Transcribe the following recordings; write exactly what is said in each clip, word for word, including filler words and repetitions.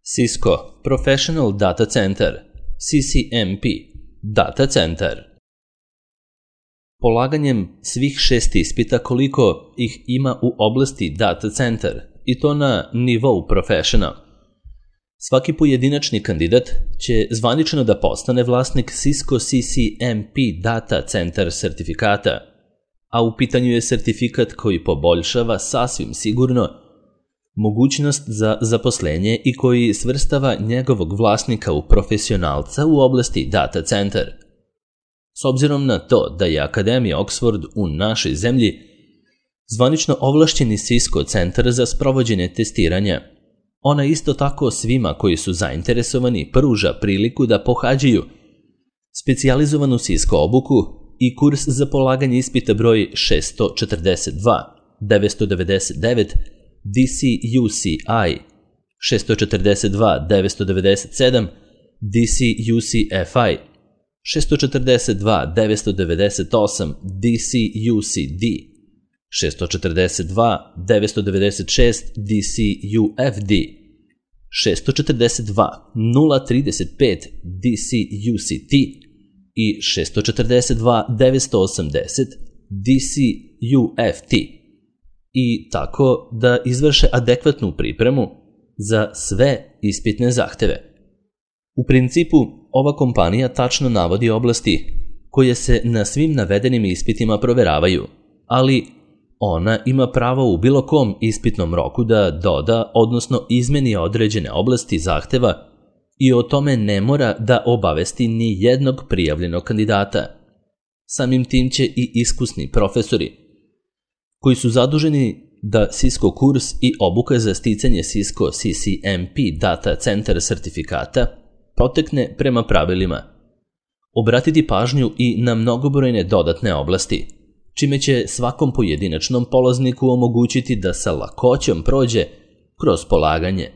Cisco Professional Data Center, C C M P, Data Center. Polaganjem svih šest ispita koliko ih ima u oblasti Data Center, i to na nivou Professional, svaki pojedinačni kandidat će zvanično da postane vlasnik Cisco C C M P Data Center sertifikata, a u pitanju je sertifikat koji poboljšava sasvim sigurno mogućnost za zaposlenje i koji svrstava njegovog vlasnika u profesionalca u oblasti Data Center. S obzirom na to da je Akademija Oxford u našoj zemlji zvanično ovlašćeni Cisco centar za sprovođenje testiranja, ona isto tako svima koji su zainteresovani pruža priliku da pohađaju specijalizovanu Cisco obuku i kurs za polaganje ispita broj šesto četrdeset dva devetsto devedeset devet D C U C I, šesto četrdeset dva devetsto devedeset sedam D C U C F I, šesto četrdeset dva devetsto devedeset osam D C U C D, šesto četrdeset dva devetsto devedeset šest D C U F D, šesto četrdeset dva nula trideset pet D C U C T i šesto četrdeset dva devetsto osamdeset D C U F T, i tako da izvrše adekvatnu pripremu za sve ispitne zahteve. U principu, ova kompanija tačno navodi oblasti koje se na svim navedenim ispitima proveravaju, ali ona ima pravo u bilo kom ispitnom roku da doda, odnosno izmeni određene oblasti zahteva i o tome ne mora da obavesti ni jednog prijavljenog kandidata. Samim tim će i iskusni profesori koji su zaduženi da Cisco kurs i obuka za sticanje Cisco C C M P Data Center sertifikata protekne prema pravilima, obratiti pažnju i na mnogobrojne dodatne oblasti, čime će svakom pojedinačnom polazniku omogućiti da sa lakoćom prođe kroz polaganje.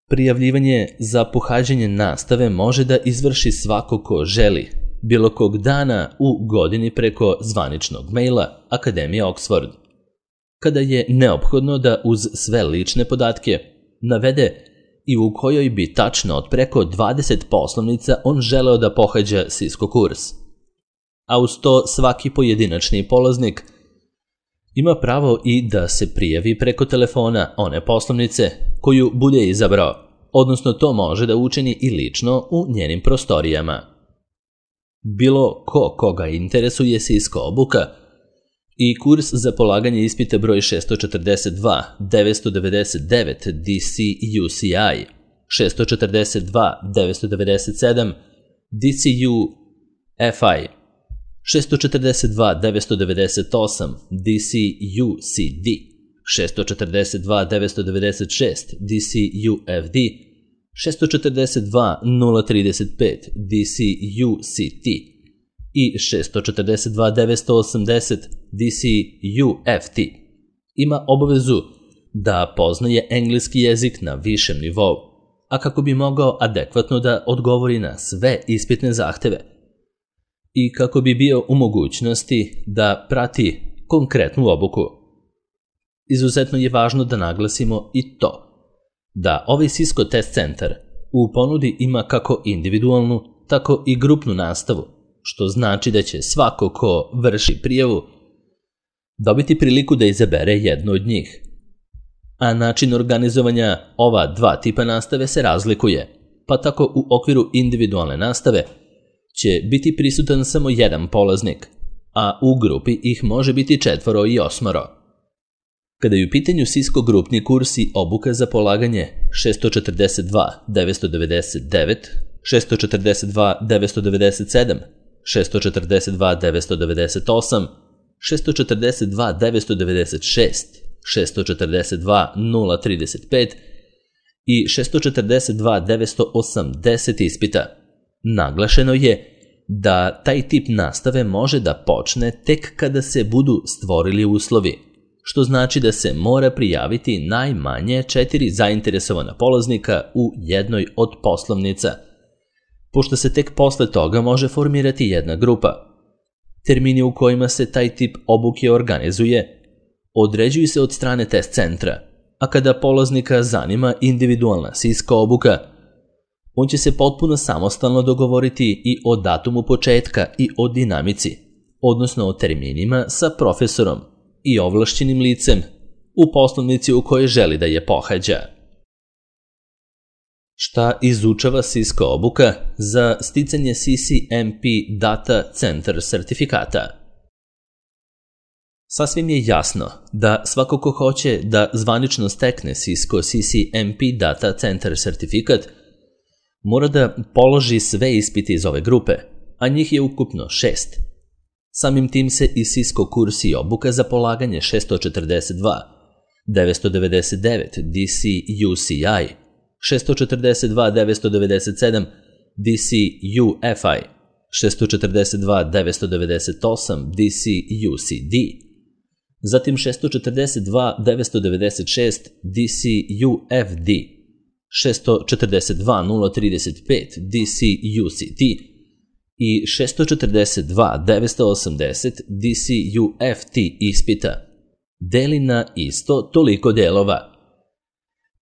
Prijavljivanje za pohađanje nastave može da izvrši svako ko želi, bilo kog dana u godini preko zvaničnog maila Akademije Oxford, kada je neophodno da uz sve lične podatke navede i u kojoj bi tačno od preko dvadeset poslovnica on želeo da pohađa Cisco kurs. A uz to svaki pojedinačni polaznik ima pravo i da se prijavi preko telefona one poslovnice koju bude izabrao, odnosno to može da učini i lično u njenim prostorijama. Bilo ko koga interesuje Cisco obuka i kurs za polaganje ispita broj šesto četrdeset dva devetsto devedeset devet D C U C I, šesto četrdeset dva devetsto devedeset sedam D C U F I, šesto četrdeset dva devetsto devedeset osam D C U C D, šesto četrdeset dva devetsto devedeset šest D C U F D, šesto četrdeset dva nula trideset pet D C U C T i šesto četrdeset dva devetsto osamdeset D C U F T ima obavezu da poznaje engleski jezik na višem nivou, a kako bi mogao adekvatno da odgovori na sve ispitne zahteve i kako bi bio u mogućnosti da prati konkretnu obuku. Izuzetno je važno da naglasimo i to da ovaj Cisco Test Center u ponudi ima kako individualnu, tako i grupnu nastavu, što znači da će svako ko vrši prijavu dobiti priliku da izabere jednu od njih. A način organizovanja ova dva tipa nastave se razlikuje, pa tako u okviru individualne nastave će biti prisutan samo jedan polaznik, a u grupi ih može biti četvoro i osmoro. Kada je u pitanju Cisco grupni kurs i obuka za polaganje šesto četrdeset dva devetsto devedeset devet, šesto četrdeset dva devetsto devedeset sedam, šesto četrdeset dva devetsto devedeset osam, šesto četrdeset dva devetsto devedeset šest, šesto četrdeset dva nula trideset pet i šesto četrdeset dva devetsto osamdeset ispita, naglašeno je da taj tip nastave može da počne tek kada se budu stvorili uslovi, što znači da se mora prijaviti najmanje četiri zainteresovana polaznika u jednoj od poslovnica, pošto se tek posle toga može formirati jedna grupa. Termini u kojima se taj tip obuke organizuje određuju se od strane test centra a kada polaznika zanima individualna Cisco obuka, on će se potpuno samostalno dogovoriti i o datumu početka i o dinamici, odnosno o terminima sa profesorom i ovlašćenim licem u poslovnici u kojoj želi da je pohađa. Šta izučava Cisco obuka za sticanje C C M P Data Center sertifikata? Sasvim je jasno da svako ko hoće da zvanično stekne Cisco C C M P Data Center sertifikat mora da položi sve ispite iz ove grupe, a njih je ukupno šest. Samim tim se i Cisco kurs i obuka za polaganje šesto četrdeset dva devetsto devedeset devet D C U C I, šesto četrdeset dva devetsto devedeset sedam D C U F I, šesto četrdeset dva devetsto devedeset osam D C U C D, zatim šesto četrdeset dva devetsto devedeset šest D C U F D, šesto četrdeset dva nula trideset pet D C U C T i šesto četrdeset dva devetsto osamdeset D C U F T ispita deli na isto toliko delova,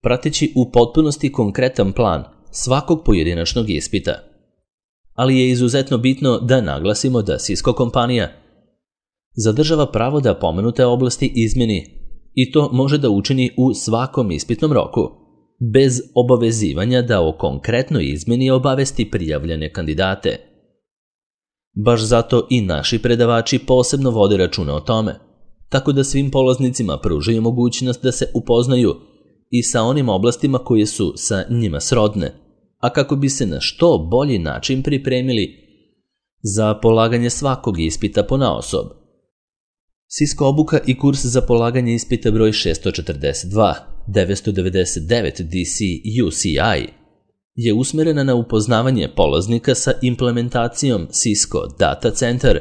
prateći u potpunosti konkretan plan svakog pojedinačnog ispita. Ali je izuzetno bitno da naglasimo da Cisco kompanija zadržava pravo da pomenute oblasti izmeni i to može da učini u svakom ispitnom roku, bez obavezivanja da o konkretnoj izmeni obavesti prijavljene kandidate. Baš zato i naši predavači posebno vode računa o tome, tako da svim polaznicima pružaju mogućnost da se upoznaju i sa onim oblastima koje su sa njima srodne, a kako bi se na što bolji način pripremili za polaganje svakog ispita ponaosob. Cisco obuka i kurs za polaganje ispita broj šesto četrdeset dva devetsto devedeset devet D C U C I je usmerena na upoznavanje polaznika sa implementacijom Cisco Data Center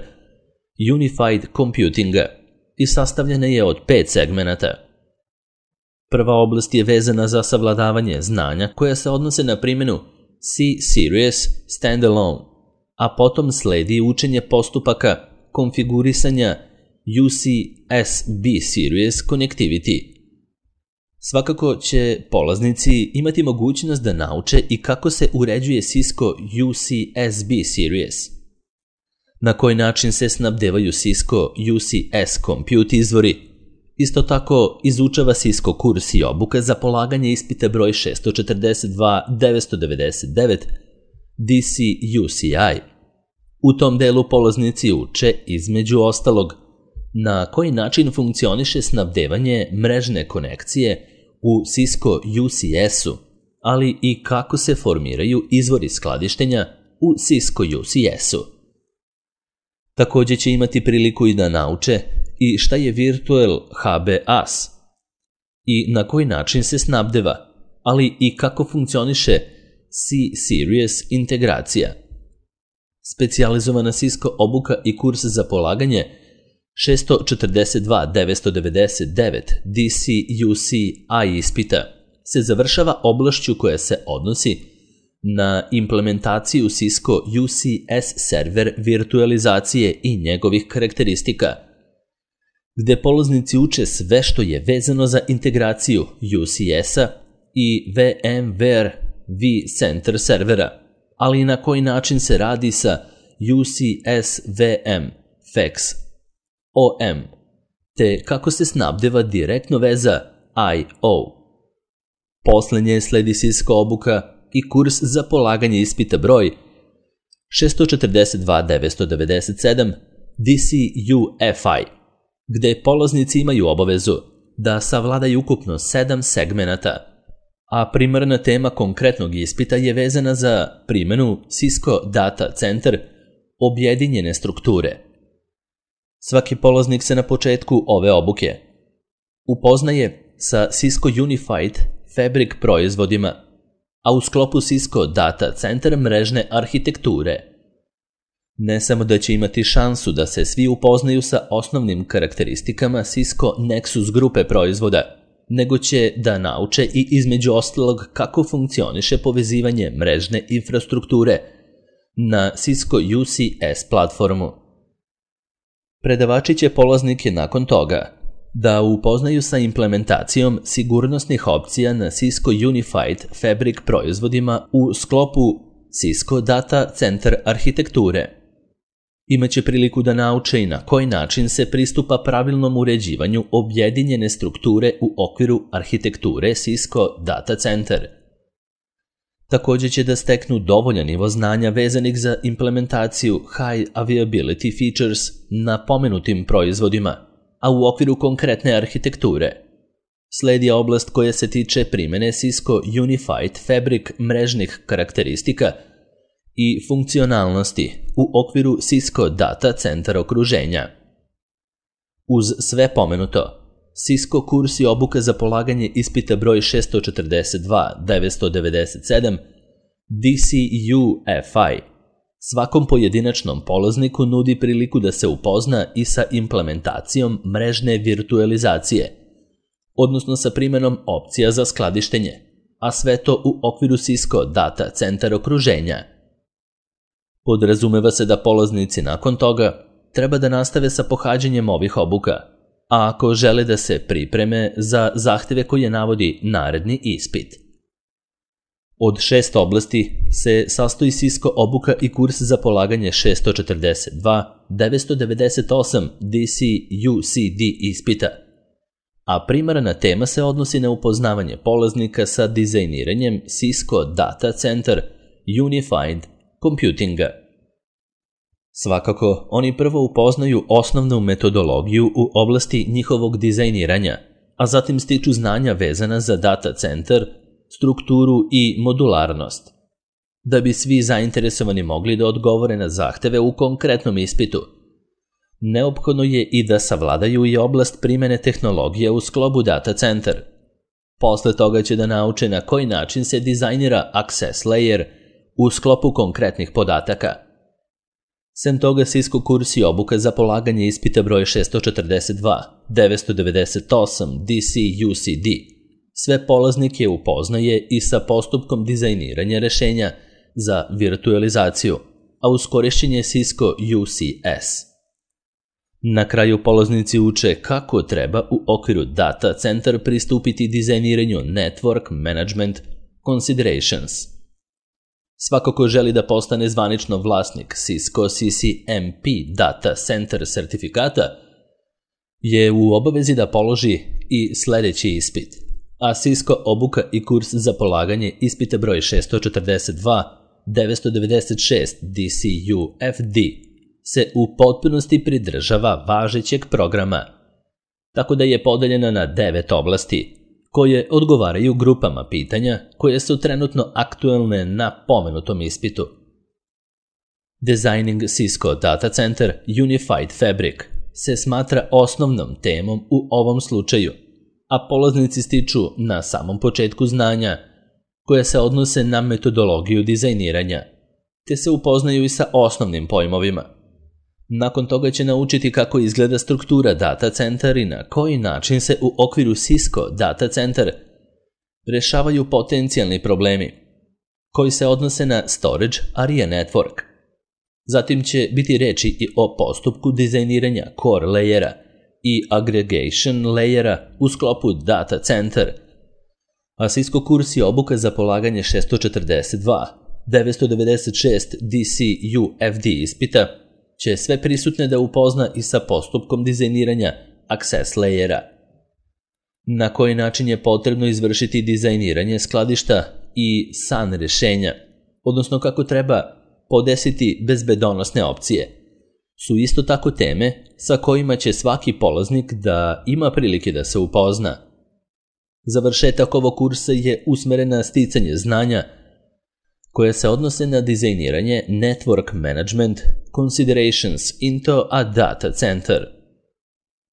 Unified Computinga i sastavljena je od pet segmenata. Prva oblast je vezana za savladavanje znanja koja se odnose na primjenu C-Series Standalone, a potom sledi učenje postupaka konfigurisanja U C S B-Series Connectivity. Svakako će polaznici imati mogućnost da nauče i kako se uređuje Cisco U C S B-Series, na koji način se snabdevaju Cisco U C S Compute izvori. Isto tako izučava Cisco kurs i obuka za polaganje ispita broj šesto četrdeset dva devetsto devedeset devet D C U C I. U tom delu polaznici uče, između ostalog, na koji način funkcioniše snabdevanje mrežne konekcije u Cisco U C S-u, ali i kako se formiraju izvori skladištenja u Cisco U C S-u. Također će imati priliku i da nauče i šta je Virtual H B A S i na koji način se snabdeva, ali i kako funkcioniše C-Series integracija. Specijalizovana Cisco obuka i kurs za polaganje šesto četrdeset dva devetsto devedeset devet D C U C I ispita se završava oblašću koja se odnosi na implementaciju Cisco U C S server virtualizacije i njegovih karakteristika, gde polaznici uče sve što je vezano za integraciju U C S-a i VMware vCenter servera, ali i na koji način se radi sa U C S V M Fax O M, te kako se snabdeva direktno veza I O. Poslednje sledi Cisco obuka i kurs za polaganje ispita broj šesto četrdeset dva devetsto devedeset sedam D C U F I, gde polaznici imaju obavezu da savladaju ukupno sedam segmenata, a primarna tema konkretnog ispita je vezana za primjenu Cisco Data Center objedinjene strukture. Svaki polaznik se na početku ove obuke upoznaje sa Cisco Unified Fabric proizvodima, a u sklopu Cisco Data Center mrežne arhitekture. Ne samo da će imati šansu da se svi upoznaju sa osnovnim karakteristikama Cisco Nexus grupe proizvoda, nego će da nauče i između ostalog kako funkcioniše povezivanje mrežne infrastrukture na Cisco U C S platformu. Predavači će polaznike nakon toga da upoznaju sa implementacijom sigurnosnih opcija na Cisco Unified Fabric proizvodima u sklopu Cisco Data Center arhitekture. Imaće priliku da nauče i na koji način se pristupa pravilnom uređivanju objedinjene strukture u okviru arhitekture Cisco Data Center. Također će da steknu dovoljan nivo znanja vezanih za implementaciju High Availability Features na pomenutim proizvodima, a u okviru konkretne arhitekture. Sledi oblast koja se tiče primjene Cisco Unified Fabric mrežnih karakteristika i funkcionalnosti u okviru Cisco Data Center okruženja. Uz sve pomenuto, Cisco kurs i obuka za polaganje ispita broj šesto četrdeset dva devetsto devedeset sedam D C U F I svakom pojedinačnom polazniku nudi priliku da se upozna i sa implementacijom mrežne virtualizacije, odnosno sa primjenom opcija za skladištenje, a sve to u okviru Cisco Data Center okruženja. Podrazumeva se da polaznici nakon toga treba da nastave sa pohađanjem ovih obuka, a ako žele da se pripreme za zahteve koje navodi naredni ispit. Od šest oblasti se sastoji Cisco obuka i kurs za polaganje šesto četrdeset dva devetsto devedeset osam D C U C D ispita, a primarna tema se odnosi na upoznavanje polaznika sa dizajniranjem Cisco Data Center Unified Computinga. Svakako, oni prvo upoznaju osnovnu metodologiju u oblasti njihovog dizajniranja, a zatim stiču znanja vezana za data centar, strukturu i modularnost, da bi svi zainteresovani mogli da odgovore na zahteve u konkretnom ispitu. Neophodno je i da savladaju i oblast primjene tehnologije u sklopu data centar. Posle toga će da nauče na koji način se dizajnira access layer u sklopu konkretnih podataka. Sem toga, Cisco kurs i obuka za polaganje ispita broj šesto četrdeset dva devetsto devedeset osam D C U C D sve polaznike upoznaje i sa postupkom dizajniranja rešenja za virtualizaciju, a uz korišćenje Cisco U C S. Na kraju polaznici uče kako treba u okviru data centar pristupiti dizajniranju Network Management Considerations. Svako ko želi da postane zvanično vlasnik Cisco C C M P Data Center sertifikata je u obavezi da položi i sljedeći ispit, a Cisco obuka i kurs za polaganje ispita broj šesto četrdeset dva devetsto devedeset šest D C U F D se u potpunosti pridržava važećeg programa, tako da je podeljena na devet oblasti, koje odgovaraju grupama pitanja koje su trenutno aktuelne na pomenutom ispitu. Designing Cisco Data Center Unified Fabric se smatra osnovnom temom u ovom slučaju, a polaznici stiču na samom početku znanja koje se odnose na metodologiju dizajniranja, te se upoznaju i sa osnovnim pojmovima. Nakon toga će naučiti kako izgleda struktura data centar i na koji način se u okviru Cisco Data Center rešavaju potencijalni problemi koji se odnose na Storage Area Network. Zatim će biti reči i o postupku dizajniranja Core layera i Aggregation layera u sklopu Data Center, a Cisco kurs i obuka za polaganje šesto četrdeset dva devetsto devedeset šest D C U F D ispita će sve prisutne da upozna i sa postupkom dizajniranja access layera. Na koji način je potrebno izvršiti dizajniranje skladišta i S A N rešenja, odnosno kako treba podesiti bezbedonosne opcije, su isto tako teme sa kojima će svaki polaznik da ima prilike da se upozna. Završetak ovog kursa je usmeren na sticanje znanja koje se odnose na dizajniranje Network Management Considerations into a Data Center.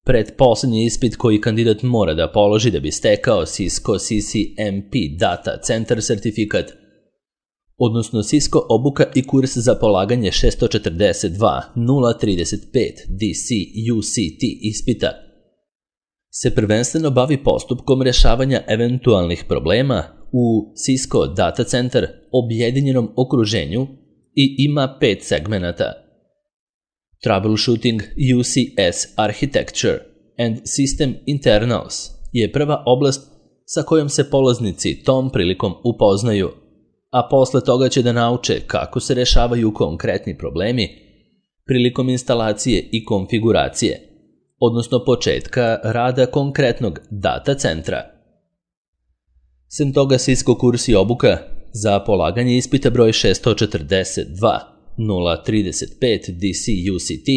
Pretposlednji ispit koji kandidat mora da položi da bi stekao Cisco C C M P Data Center sertifikat, odnosno Cisco obuka i kurs za polaganje šesto četrdeset dva nula trideset pet D C U C T ispita, se prvenstveno bavi postupkom rešavanja eventualnih problema u Cisco Data Center objedinjenom okruženju i ima pet segmenata: Troubleshooting U C S Architecture, and System Internals je prva oblast sa kojom se polaznici tom prilikom upoznaju, a posle toga će da nauče kako se rešavaju konkretni problemi prilikom instalacije i konfiguracije, odnosno početka rada konkretnog data centra. Sem toga, Cisco kurs i obuka za polaganje ispita broj šesto četrdeset dva nula trideset pet D C U C T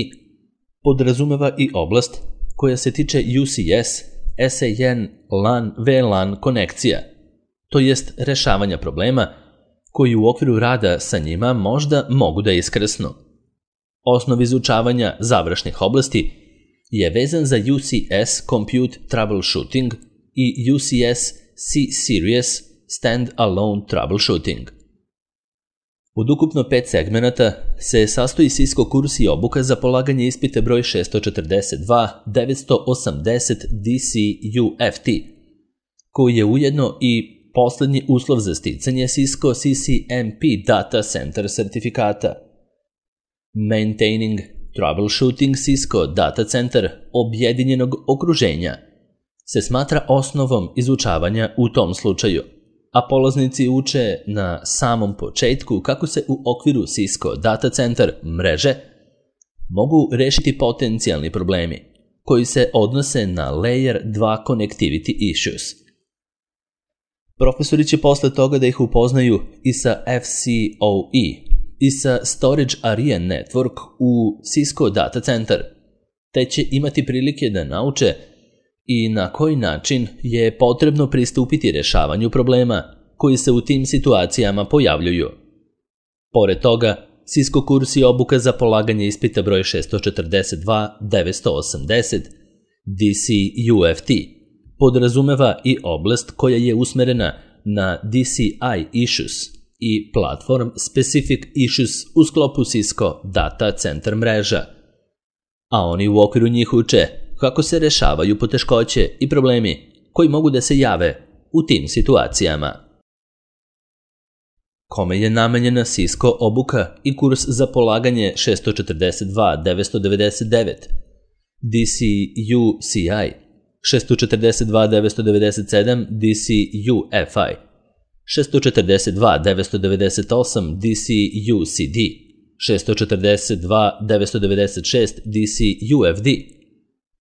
podrazumeva i oblast koja se tiče U C S, S A N, LAN, V LAN konekcija, to jest rešavanja problema koji u okviru rada sa njima možda mogu da iskrsnu. Osnov izučavanja završnih oblasti je vezan za U C S Compute Troubleshooting i U C S C-Series Stand-Alone Troubleshooting. Od ukupno pet segmenata se sastoji Cisco kurs i obuka za polaganje ispita broj šesto četrdeset dva devetsto osamdeset D C U F T, koji je ujedno i poslednji uslov za sticanje Cisco C C M P Data Center sertifikata. Maintaining Troubleshooting Cisco Data Center objedinjenog okruženja se smatra osnovom izučavanja u tom slučaju, a polaznici uče na samom početku kako se u okviru Cisco Data Center mreže mogu rešiti potencijalni problemi koji se odnose na Layer dva Connectivity Issues. Profesori će posle toga da ih upoznaju i sa F C O E i sa Storage Area Network u Cisco Data Center, te će imati prilike da nauče i na koji način je potrebno pristupiti rešavanju problema koji se u tim situacijama pojavljuju. Pored toga, Cisco kurs i obuka za polaganje ispita broj šesto četrdeset dva devetsto osamdeset D C U F T podrazumeva i oblast koja je usmerena na D C I issues i Platform Specific Issues u sklopu Cisco Data Center mreža, a oni u okviru njih uče kako se rešavaju poteškoće i problemi koji mogu da se jave u tim situacijama. Kome je namenjena Cisco obuka i kurs za polaganje šesto četrdeset dva devetsto devedeset devet D C U C I, šesto četrdeset dva devetsto devedeset sedam D C U F I, šesto četrdeset dva devetsto devedeset osam D C U C D, šesto četrdeset dva devetsto devedeset šest D C U F D,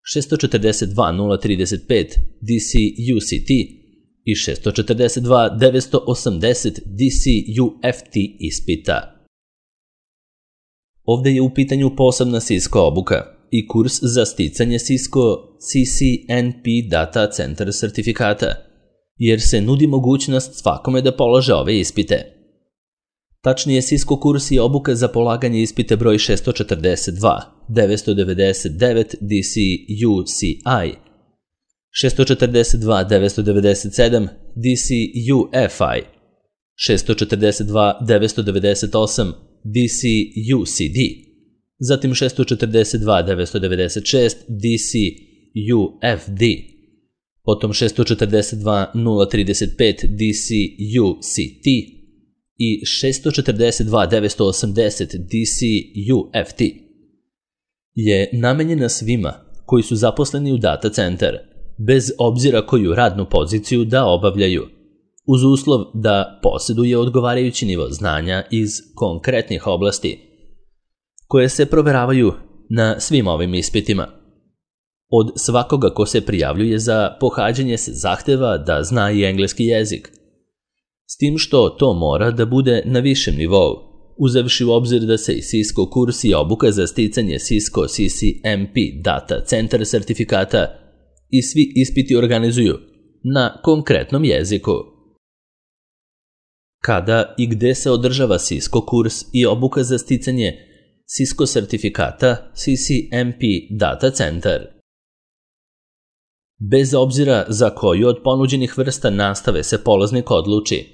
šesto četrdeset dva nula trideset pet D C U C T i šesto četrdeset dva devetsto osamdeset D C U F T ispita. Ovde je u pitanju posebna Cisco obuka i kurs za sticanje Cisco C C N P Data Center sertifikata, jer se nudi mogućnost svakome da polaže ove ispite. Tačnije, Cisco kurs i obuka za polaganje ispita broj šesto četrdeset dva devetsto devedeset devet D C U C I, šesto četrdeset dva devetsto devedeset sedam D C U F I, šesto četrdeset dva devetsto devedeset osam D C U C D, zatim šesto četrdeset dva devetsto devedeset šest D C U F D, potom šesto četrdeset dva nula trideset pet D C U C T i šesto četrdeset dva devetsto osamdeset D C U F T, je namenjena svima koji su zaposleni u data centar, bez obzira koju radnu poziciju da obavljaju, uz uslov da posjeduje odgovarajući nivo znanja iz konkretnih oblasti, koje se proveravaju na svim ovim ispitima. Od svakoga ko se prijavljuje za pohađanje se zahteva da zna i engleski jezik, s tim što to mora da bude na višem nivou, uzevši u obzir da se i Cisco kurs i obuka za sticanje Cisco C C M P Data Center sertifikata i svi ispiti organizuju na konkretnom jeziku. Kada i gde se održava Cisco kurs i obuka za sticanje Cisco sertifikata C C M P Data Center? Bez obzira za koju od ponuđenih vrsta nastave se polaznik odluči,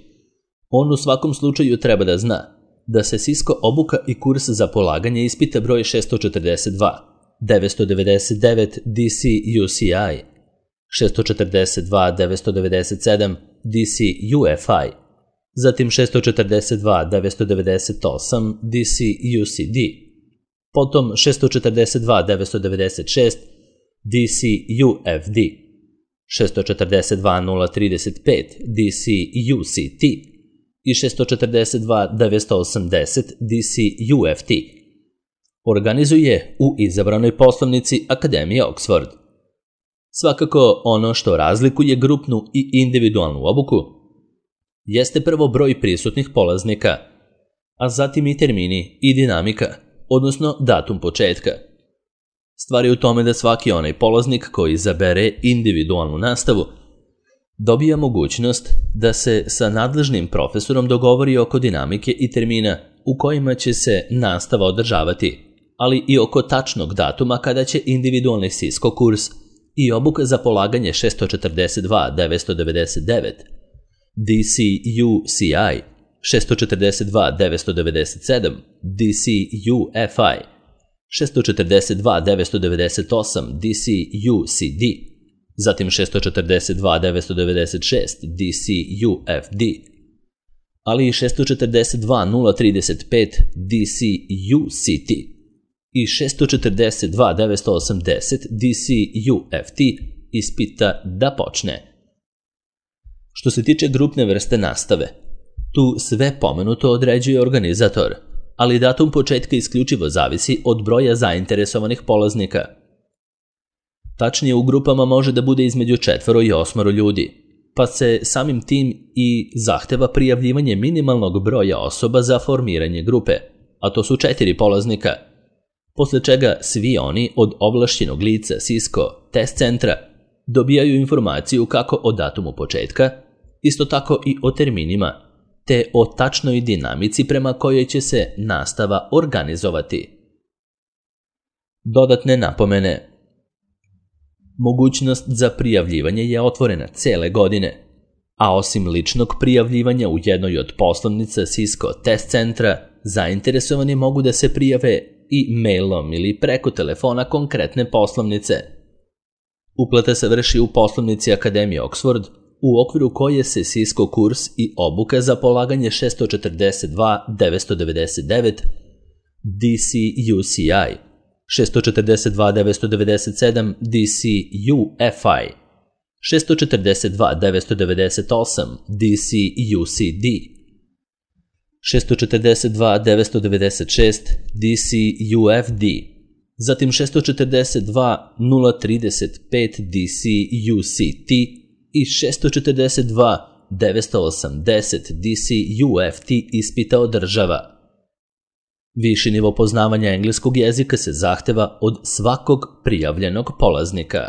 on u svakom slučaju treba da zna da se Cisco obuka i kurs za polaganje ispita broj šesto četrdeset dva devetsto devedeset devet D C U C I, šesto četrdeset dva devetsto devedeset sedam D C U F I, zatim šesto četrdeset dva devetsto devedeset osam D C U C D, potom šesto četrdeset dva devetsto devedeset šest D C U F D, šesto četrdeset dva nula trideset pet D C U C T i šesto četrdeset dva devetsto osamdeset D C U F T. Organizuje u izabranoj poslovnici Akademije Oxford. Svakako ono što razlikuje grupnu i individualnu obuku jeste prvo broj prisutnih polaznika, a zatim i termini i dinamika, odnosno datum početka. Stvar je u tome da svaki onaj polaznik koji izabere individualnu nastavu dobija mogućnost da se sa nadležnim profesorom dogovori oko dinamike i termina u kojima će se nastava održavati, ali i oko tačnog datuma kada će individualni Cisco kurs i obuka za polaganje šesto četrdeset dva devetsto devedeset devet, D C U C I, šesto četrdeset dva devetsto devedeset sedam, D C U F I, šesto četrdeset dva devetsto devedeset osam, D C U C D, zatim šesto četrdeset dva devetsto devedeset šest, D C U F D, ali i šesto četrdeset dva nula trideset pet, D C U C T i šesto četrdeset dva devetsto osamdeset, D C U F T ispita da počne. Što se tiče grupne vrste nastave, tu sve pomenuto određuje organizator, ali datum početka isključivo zavisi od broja zainteresovanih polaznika. Tačnije, u grupama može da bude između četvoro i osmoro ljudi, pa se samim tim i zahteva prijavljivanje minimalnog broja osoba za formiranje grupe, a to su četiri polaznika, posle čega svi oni od ovlašćenog lica Cisco test centra dobijaju informaciju kako o datumu početka, isto tako i o terminima, te o tačnoj dinamici prema kojoj će se nastava organizovati. Dodatne napomene. Mogućnost za prijavljivanje je otvorena cele godine, a osim ličnog prijavljivanja u jednoj od poslovnica Cisco test centra, zainteresovani mogu da se prijave i mailom ili preko telefona konkretne poslovnice. Uplata se vrši u poslovnici Akademije Oxford, u okviru koje se Cisco kurs i obuka za polaganje šesto četrdeset dva devetsto devedeset devet, D C U C I, šesto četrdeset dva devetsto devedeset sedam, D C U F I, šesto četrdeset dva devetsto devedeset osam, D C U C D, šesto četrdeset dva devetsto devedeset šest, D C U F D, zatim šesto četrdeset dva nula trideset pet, D C U C T i šesto četrdeset dva devetsto osamdeset, D C U F T ispita održava. Viši nivo poznavanja engleskog jezika se zahteva od svakog prijavljenog polaznika.